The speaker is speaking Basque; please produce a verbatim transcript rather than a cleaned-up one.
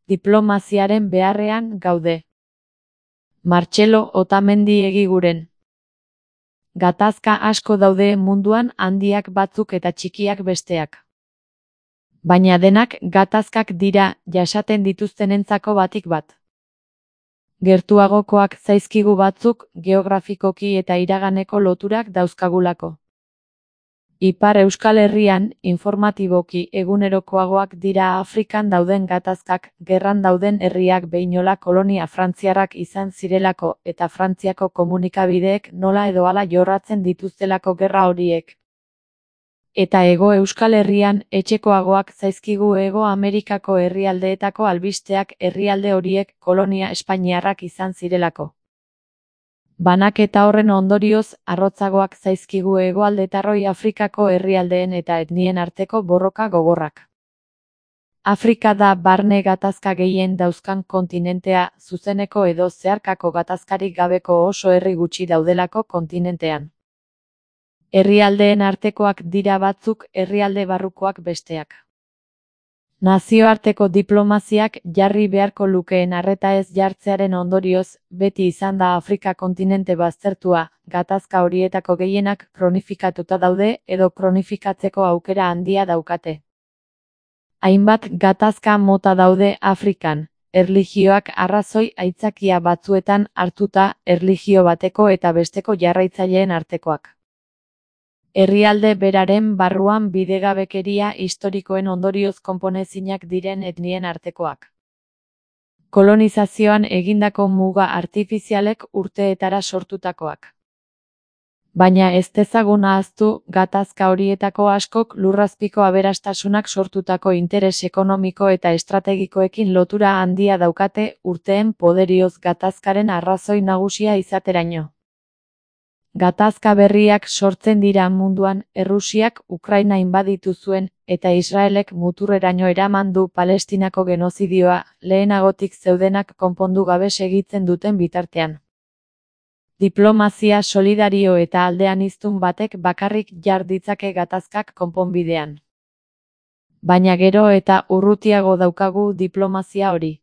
Diplomaziaren beharrean gaude. Martxelo Otamendi Egiguren. Gatazka asko daude munduan, handiak batzuk eta txikiak besteak. Baina denak gatazkak dira, jasaten dituztenentzako batik bat. Gertuagokoak zaizkigu batzuk, geografikoki eta iraganeko loturak dauzkagulako. Ipar Euskal Herrian, informatiboki egunerokoagoak dira Afrikan dauden gatazkak, gerran dauden herriak behinola kolonia frantziarrak izan zirelako eta Frantziako komunikabideek nola edo hala jorratzen dituztelako gerra horiek. Eta Hego Euskal Herrian, etxekoagoak zaizkigu Hego Amerikako herrialdeetako albisteak herrialde horiek kolonia espainiarrak izan zirelako. Banaketa horren ondorioz, arrotzagoak zaizkigu hegoaldetarroi Afrikako herrialdeen eta etnien arteko borroka gogorrak. Afrika da barne gatazka gehien dauzkan kontinentea, zuzeneko edo zeharkako gatazkarik gabeko oso herri gutxi daudelako kontinentean. Herrialdeen artekoak dira batzuk, herrialde barrukoak besteak. Nazioarteko diplomaziak jarri beharko lukeen arreta ez jartzearen ondorioz, beti izan da Afrika kontinente baztertua, gatazka horietako gehienak kronifikatuta daude edo kronifikatzeko aukera handia daukate. Hainbat gatazka mota daude Afrikan, erlijioak arrazoi aitzakia batzuetan hartuta, erlijio bateko eta besteko jarraitzaileen artekoak. Herrialde beraren barruan bidegabekeria historikoen ondorioz konponezinak diren etnien artekoak. Kolonizazioan egindako muga artifizialek urteetara sortutakoak. Baina ez dezagun ahaztu, gatazka horietako askok lurrazpiko aberastasunak sortutako interes ekonomiko eta estrategikoekin lotura handia daukate urteen poderioz gatazkaren arrazoi nagusia izateraino. Gatazka berriak sortzen dira munduan, Errusiak Ukraina inbaditu zuen, eta Israelek muturreraino eraman du Palestinako genozidioa, lehenagotik zeudenak konpondu gabe segitzen duten bitartean. Diplomazia solidario eta aldean hiztun batek bakarrik jar ditzake gatazkak konponbidean. Baina gero eta urrutiago daukagu diplomazia hori.